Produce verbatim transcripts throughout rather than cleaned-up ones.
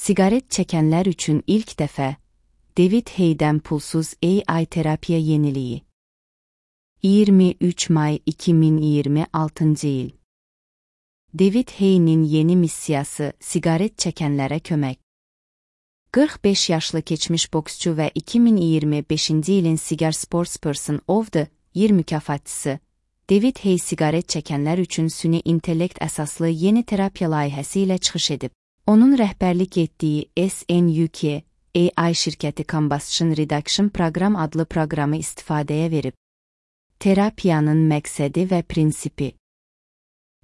Siqaret çəkənlər üçün ilk dəfə David Hey'dən pulsuz A I terapiya yeniliyi. iyirmi üç may iki min iyirmi altıncı il. David Hey'nin yeni missiyası siqaret çəkənlərə kömək. qırx beş yaşlı keçmiş boksçu və iki min iyirmi beşinci ilin Cigar Sportsperson of the Year mükafatçısı David Hey siqaret çəkənlər üçün süni intellekt əsaslı yeni terapiya layihəsi ilə çıxış edib. Onun rəhbərlik etdiyi S N U K A I şirkəti Combustion Reduction Program adlı proqramı istifadəyə verib. Terapiyanın məqsədi və prinsipi.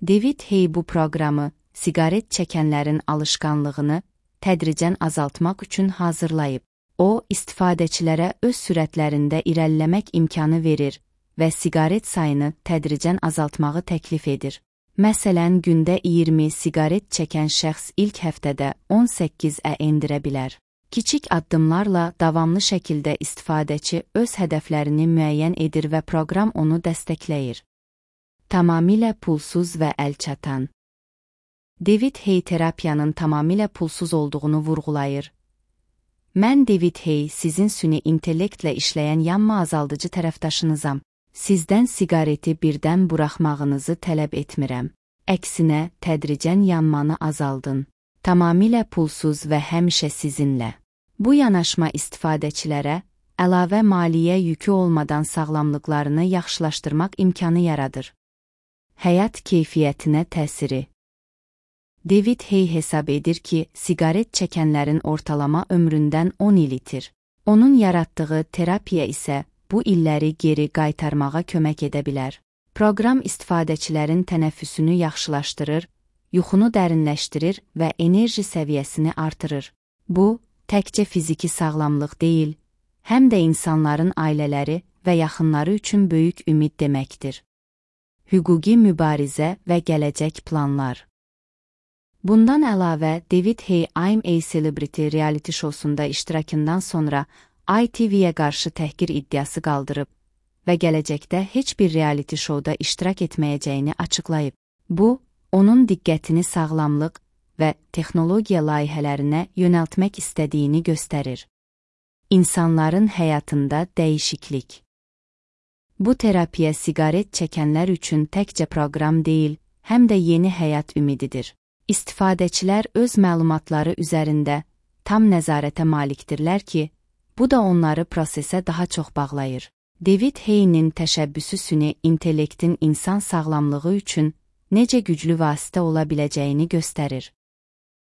David Hey bu proqramı siqaret çəkənlərin alışqanlığını tədricən azaltmaq üçün hazırlayıb. O, istifadəçilərə öz sürətlərində irəliləmək imkanı verir və siqaret sayını tədricən azaltmağı təklif edir. Məsələn, gündə iyirmi siqaret çəkən şəxs ilk həftədə on səkkizə endirə bilər. Kiçik addımlarla davamlı şəkildə istifadəçi öz hədəflərini müəyyən edir və proqram onu dəstəkləyir. Tamamilə pulsuz və əlçatan. David Hey terapiyanın tamamilə pulsuz olduğunu vurğulayır. Mən David Hey, sizin süni intellektlə işləyən yanma azaldıcı tərəfdaşınızam. Sizdən siqareti birdən buraxmağınızı tələb etmirəm. Əksinə, tədricən yanmanı azaldın. Tamamilə pulsuz və həmişə sizinlə. Bu yanaşma istifadəçilərə əlavə maliyyə yükü olmadan sağlamlıqlarını yaxşılaşdırmaq imkanı yaradır. Həyat keyfiyyətinə təsiri. David Hey hesab edir ki, siqaret çəkənlərin ortalama ömründən on il itir. Onun yaratdığı terapiya isə bu illəri geri qaytarmağa kömək edə bilər. Proqram istifadəçilərin tənəffüsünü yaxşılaşdırır, yuxunu dərinləşdirir və enerji səviyyəsini artırır. Bu, təkcə fiziki sağlamlıq deyil, həm də insanların ailələri və yaxınları üçün böyük ümid deməkdir. Hüquqi mübarizə və gələcək planlar. Bundan əlavə, David Hey I'm a Celebrity reality şousunda iştirakından sonra I T V'yə qarşı təhqir iddiası qaldırıb və gələcəkdə heç bir reality şouda iştirak etməyəcəyini açıqlayıb. Bu, onun diqqətini sağlamlıq və texnologiya layihələrinə yönəltmək istədiyini göstərir. İnsanların həyatında dəyişiklik. Bu terapiya siqaret çəkənlər üçün təkcə proqram deyil, həm də yeni həyat ümididir. İstifadəçilər öz məlumatları üzərində tam nəzarətə malikdirlər ki, bu da onları prosesə daha çox bağlayır. David Hey'nin təşəbbüsü süni intellektin insan sağlamlığı üçün necə güclü vasitə ola biləcəyini göstərir.